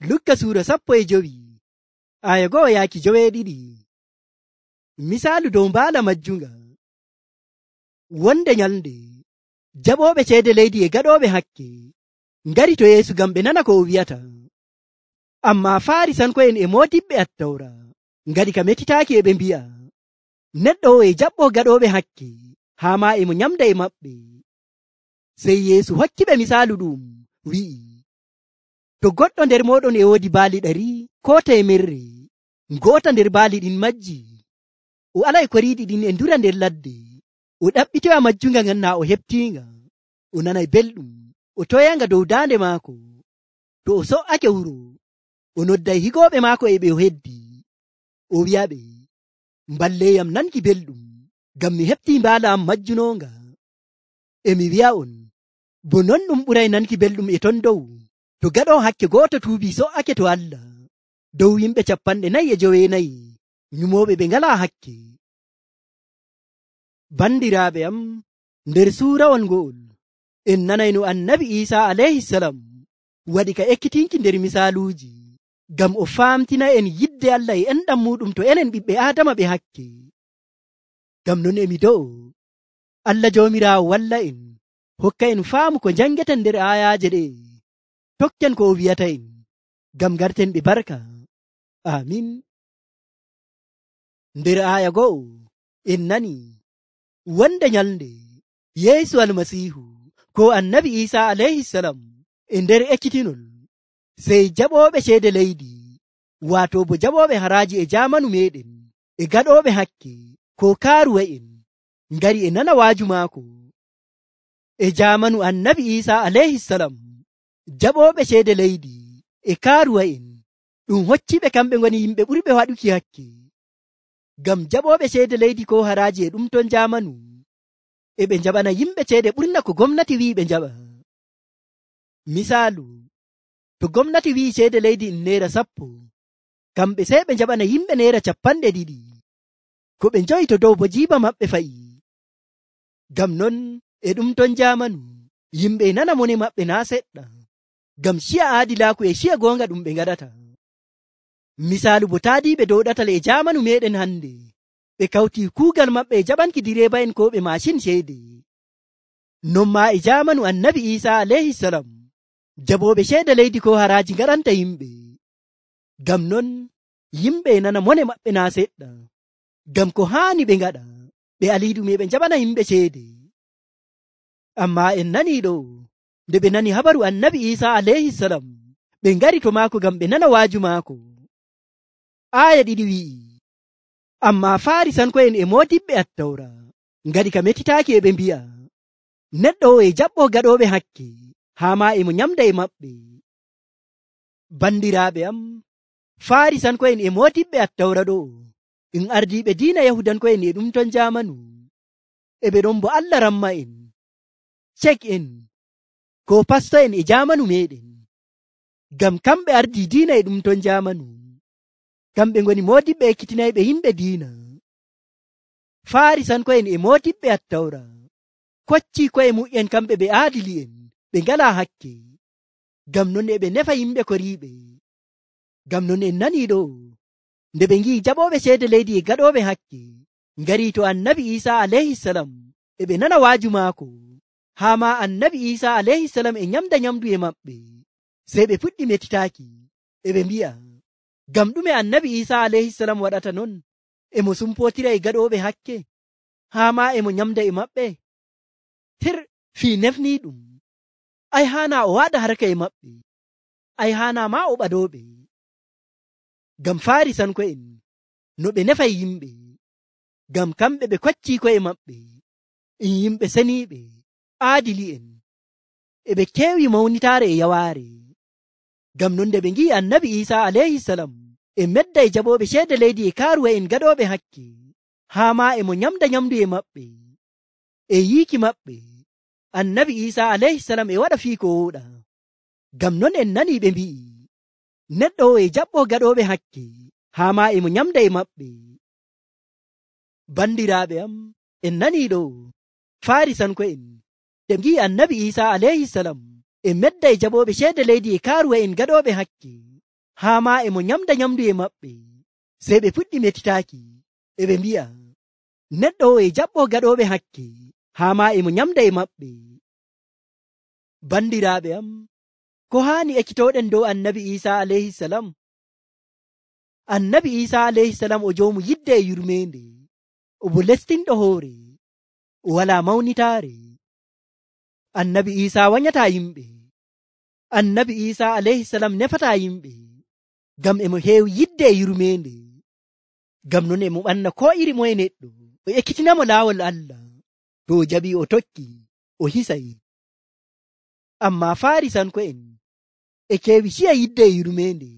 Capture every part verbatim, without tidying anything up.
Lukka suura sappo e jowi aya go'o yaaki joweeɗiɗi. Misaalu dow mbaala majjunga. Wonde nyalnde jaɓooɓe ceede leydi e gaɗooɓe hakke ngari to Yeesu ngam ɓe nana ko o wi'ata. Ammaa Faarisanko'en e moodiɓɓe Attawra ngaɗi ka metitaaki e ɓe mbi'a, neɗɗo o e jaɓɓoo gaɗooɓe hakke haa maa e mo nyamda e maɓɓe. Sey Yeesu hokkiɓe misaalu ɗum wi'i, to goɗɗo nder mooɗon e woodi baali ɗari koo teemerre, ngoota nder baali ɗin majji, o alay koriiɗi ɗin e ndura nder ladde, o ɗaɓɓitoya majjunga ngan naa o heɓtiinga, o nanay belɗum, o toyanga dow daande maako. To o so''ake wuro, o nodday higooɓe maako e ɓe o heddi, o wi'aɓe, mballeeyam nanki belɗum, ngam mi heɓtii mbaala am majjunonga. E mi wi'a'on, bo non ɗum ɓuray nanki belɗum e ton dow, to gaɗoo hakke gooto tuubii so''ake to Allah dow yimɓe capanɗe nayi e joweenayi nyumooɓe ɓe ngalaa hakke. Bandiraaɓe am, nder suurawol ngo'ol en nanay no annabi Iisaa alayhisalam waɗi ka ekkitinki nder misaaluuji ngam o faamtina en yidde Allah e enɗam muɗum to enen ɓiɓɓe Aadama ɓe hakke. Ngam non emi do'o Allah Joomiraawo walla en, hokka en faamu ko njangeten nder aayaaje ɗe, tokken ko o wi'ata en, ngam garten ɓe barka. Amin. Nder aaya go'o en nani wonde nyalnde Yeesu Almasiihu ko annabi Iisaa alayhisalam e nder ekkitinol, sey jaɓooɓe ceede leydi, waato bo jaɓooɓe haraaji e jaamanu meɗen e gaɗooɓe hakke ko kaaruwa'en ngari e nana waaju maako. E jaamanu annabi Iisaa alayhisalam, jaɓooɓe ceede leydi e kaaruwa'en ɗum hocciɓe kamɓe ngoni yimɓe ɓurɓe waɗuki hakke. Ngam jaɓooɓe ceede leydi ko haraaji e ɗum ton jaamanu e ɓe njaɓana yimɓe ceede ɓurna ko gomnati wi'i ɓe njaɓa. Misaalu, to gomnati wi'i ceede leydi in neera sappo, kamɓe sey ɓe njaɓana yimɓe neera capanɗe ɗiɗi, ko ɓe njoyi to dow bo jiiba maɓɓe fa'i. Ngam non e ɗum ton jaamanu yimɓe nana mone maɓɓe naa seɗɗa, ngam ciya aadilaaku e ciya goonga ɗum ɓe ngaɗata. Misaalu bo taadiiɓe dow ɗatal e jaamanu meɗen hande, ɓe kawti kuugal maɓɓe e jaɓanki direeba'en ko ɓe maashin ceede. Non maa e jaamanu annabi Iisaa alayhisalam, jaɓooɓe ceede leydi ko haraaji ngaɗanta yimɓe. Ngam non yimɓe nana mone maɓɓe naa seɗɗa, ngam ko haani ɓe ngaɗa ɓe aliiɗum e ɓe njaɓana yimɓe ceede. Ammaa en nanii ɗo, nde ɓe nani habaru annabi Iisaa alayhisalam, ɓe ngari to maako ngam ɓe nana waaju maako. Aaya ɗiɗi wi'i, ammaa Faarisanko'en e moodiɓɓe Attawra ngaɗi ka metitaaki e ɓe mbi'a, neɗɗo o e jaɓɓoo gaɗooɓe hakke haa maa e mo nyamda e maɓɓe. Bandiraaɓe am, Faarisanko'en e moodiɓɓe Attawra ɗo en ardiiɓe diina Yahudanko'en e ɗum ton jaamanu, e ɓe ɗon bo Allah ramma en, cek en ko pasto'en e jaamanu meɗen, ngam kamɓe ardii diina e ɗum ton jaamanu. Kamɓe ngoni moodiɓɓe ekkitinayɓe yimɓe diina. Faarisanko'en e moodiɓɓe Attawra koccii ko'e mu'en kamɓe ɓe aadili'en, ɓe ngalaa hakke, ngam non e ɓe nefa yimɓe koriiɓe. Ngam non en nanii ɗo, nde ɓe ngi'i jaɓooɓe ceede leydi e gaɗooɓe hakke ngarii to annabi Iisaa alayhisalam e ɓe nana waaju maako, haa maa annabi Iisaa alayhisalam e nyamda nyamdu e maɓɓe, sey ɓe puɗɗi metitaaki e ɓe mbi'a, ngam ɗume annabi Iisaa alayhisalam waɗata non, e mo sumpootira e gaɗooɓe hakke haa maa e mo nyamda e maɓɓe. Tir fii nefnii ɗum, ay haana o waɗa harka e maɓɓe, ay haana maa o ɓadooɓe. Ngam Faarisanko'en no ɓe nefay yimɓe, ngam kamɓe ɓe koccii ko'e maɓɓe in yimɓe seniiɓe aadili'en, e ɓe keewi mawnitaare e yawaare. Ngam non nde ɓe ngi'i annabi Iisaa alayhisalam e medda e jaɓooɓe ceede leydi e kaaruwa'en gaɗooɓe hakke haa maa e mo nyamda nyamdu e maɓɓe, e yiiki maɓɓe annabi Iisaa alayhisalam e waɗa fii ko wooɗa. Ngam non en nanii ɓe mbi'i, neɗɗo o e jaɓɓoo gaɗooɓe hakke haa maa e mo nyamda e maɓɓe. Bandiraaɓe am, en nanii ɗo, Faarisanko'en ɓe ngi'i annabi Iisaa alayhisalam e medda e jaɓooɓe ceede leydi e kaaruwa'en gaɗooɓe hakke haa maa e mo nyamda nyamdu e maɓɓe. Sey ɓe puɗɗi metitaaki, e ɓe mbi'a, neɗɗo o e jaɓɓo gaɗooɓe hakke, haa maa e mo nyamda e maɓɓe. Bandiraaɓe am, ko haani ekkitooɗen dow annabi Iisaa alayhisalam? Annabi Iisaa alayhisalam o joomu yidde e yurmeende, o bo lestinɗo hoore, o walaa mawnitaare. Annabi Iisaa wanyataa yimɓe. Annabi Iisaa alayhisalam nefataa yimɓe, ngam e mo heewi yidde e yurmeende. Ngam non e mo ɓanna ko iri moye neɗɗo, o ekkitinamo laawol Allah. To o jaɓii o tokki, o hisay. Ammaa Faarisanko'en e keewi ciya yidde e yurmeende,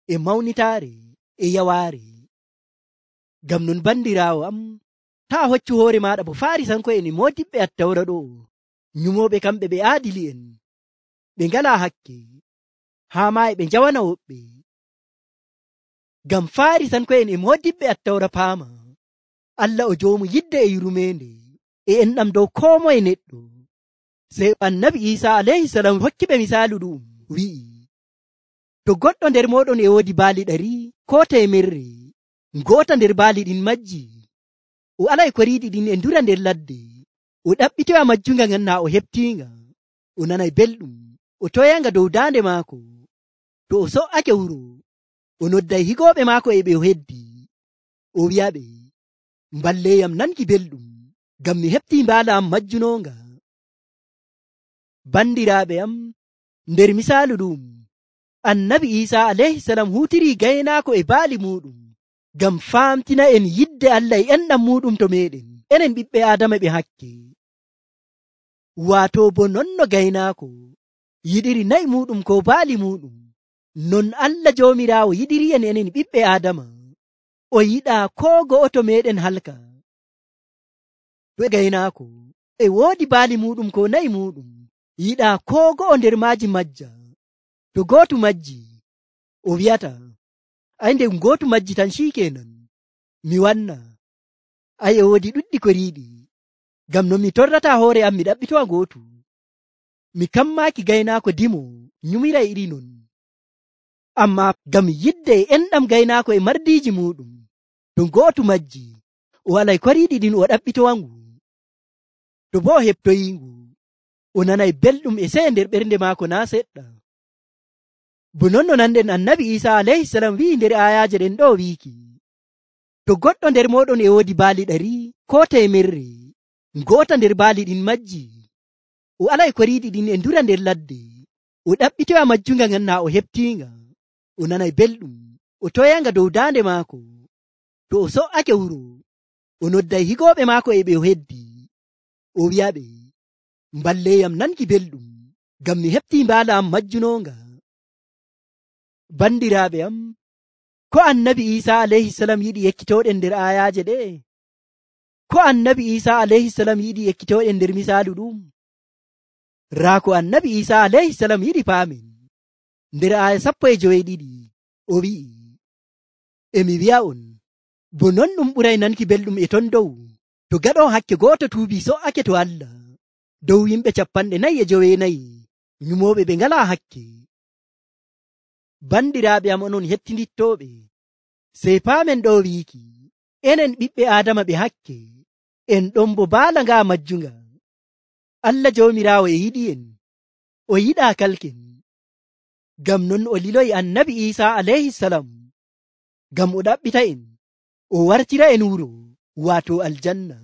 e mawnitaare, e yawaare. Ngam non bandiraawo am, taa hoccu hoore maaɗa bo Faarisanko'en e moodiɓɓe Attawra ɗo, nyumooɓe kamɓe ɓe aadili'en, ɓe ngalaa hakke, haa maa e ɓe njawana woɓɓe. Ngam Faarisanko'en e moodiɓɓe Attawra paama, Allah o joomu yidde e yurmeende, e enɗam dow koo moye neɗɗo. Sey annabi Iisaa alayhisalam hokkiɓe misaalu ɗum, wi'i, to goɗɗo nder mooɗon e woodi baali ɗari koo teemerre, ngoota nder baali ɗin majji, o alay koriiɗi ɗin e ndura nder ladde, o ɗaɓɓitoya majjunga ngan naa o heɓtiinga, o nanay belɗum, o toyanga dow daande maako. To o so'ake wuro, o nodday higooɓe maako e ɓe o heddi, o wi'aɓe, mballeyam nanki belɗum, ngam mi heɓtii mbaala am majjunonga. Bandiraaɓe am, nder misaalu ɗum, annabi Iisaa alayhisalam huutirii gaynaako e baali muɗum, ngam faamtina en yidde Allah e enɗam muɗum to meɗen, enen ɓiɓɓe Aadama ɓe hakke. Waato bo non no gaynaako yiɗiri na'i muɗum ko baali muɗum, non Allah Joomiraawo yiɗiri en enen ɓiɓɓe Aadama. O yiɗaa koo go'oto meɗen halka. To gaynaako e woodi baali muɗum ko na'i muɗum, yiɗaa koo go'o nder maaji majja. To gootu majji, o wi'ata, ay nde gootu majji tan ciikenan, mi wanna. Ay e woodi ɗuɗɗi koriiɗi, ngam no mi torrataa hoore am mi ɗaɓɓitowa gootu. Mi kammaaki gaynaako dimo nyumiray iri non. Ammaa ngam yidde e enɗam gaynaako e mardiiji muɗum, to gootu majji, o walay koriiɗi ɗin o ɗaɓɓitowangu. To boo o heɓtoyiingu, o nanay belɗum e sey nder ɓernde maako naa seɗɗa. Bo non no nanɗen annabi Iisaa alayhisalam wi'i nder ayaaje ɗen ɗo wiiki, to goɗɗo nder mooɗon e woodi baali ɗari koo teemerre, ngoota nder baali ɗin majji, o alay koriiɗi ɗin e ndura nder ladde, o ɗaɓɓitoya majjunga ngan naa o heɓtiinga, o nanay belɗum, o toyanga dow daande maako. To o so'ake wuro, o nodday higooɓe maako e ɓe o heddi, o wi'aɓe, mballeyam nanki belɗum, ngam mi heɓtii mbaala am majjunonga. Bandiraaɓe am, ko annabi Iisaa alayhisalam yiɗi ekkitooɗen nder ayaaje ɗe? Ko annabi Iisaa alayhisalam yiɗi ekkitooɗen nder misaalu ɗum? Raa ko annabi Iisaa alayhisalam yiɗi paamen. Nder aya sappo e joweeɗiɗi, o wi'i, emi wi'a'on, bo non ɗum ɓuray nanki belɗum e ton dow, to gaɗo hakke gooto tuubi so'ake to Allah, dow yimɓe capanɗe nayi e joweenayi, nyumooɓe ɓe ngalaa hakke. Bandiraaɓe am onon hettindittooɓe, sey paamen ɗo wiiki, enen ɓiɓɓe Aadama ɓe hakke, en ɗon bo baala ngaa majjunga. Allah Joomiraawo e yiɗi en, o yiɗaa kalken. Ngam non o liloyi annabi Iisaa alayhisalam, ngam o ɗaɓɓita en, o wartira en wuro, waato aljanna.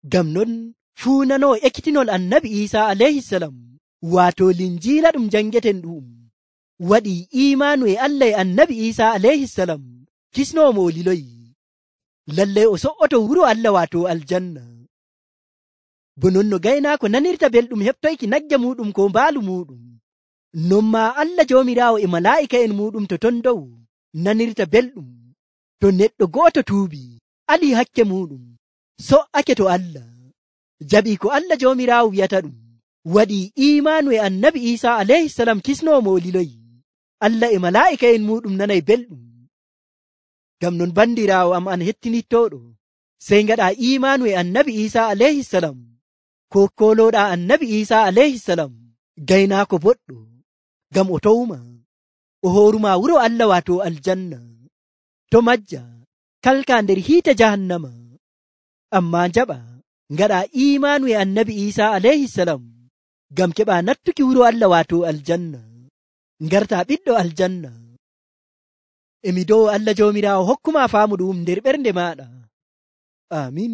Ngam non fuu nanoo ekkitinol annabi Iisaa alayhisalam, waato linjiila ɗum jangeten ɗum, waɗi imaanu e Allah e annabi Iisaa alayhisalam, kisnoomo o liloyi, lallay o so'oto wuro Allah waato aljanna. Bo non no gaynaako nanirta belɗum heɓtoyki nagge muɗum ko mbaalu muɗum, non maa Allah Joomiraawo e malaa'ika en muɗum to ton dow nanirta belɗum to neɗɗo gooto tuubi, ali hakke muɗum, so'ake to Allah, jaɓii ko Allah Joomiraawo wi'ata ɗum, waɗi imaanu e annabi Iisaa alayhisalam, kisnoomo o liloyi, Allah e malaa'ika en muɗum nanay belɗum. Ngam non bandiraawo am an hettinittooɗo, sey ngaɗa imaanu e annabi Iisaa alayhisalam, ko kolooɗa annabi Iisaa alayhisalam, gaynaako boɗɗo, ngam o towma, o horuma wuro Allah wato aljanna to majja kalka nder hiite jahannama. Amma jaɓa ngaɗa imanu e annabi Isa alayhi salam ngam keɓa nattuki wuro Allah wato aljanna, ngarta ɓiɗɗo aljanna. emi dow Allah jawmirawo hokkuma faamu ɗum nder ɓernde maɗa. Amin.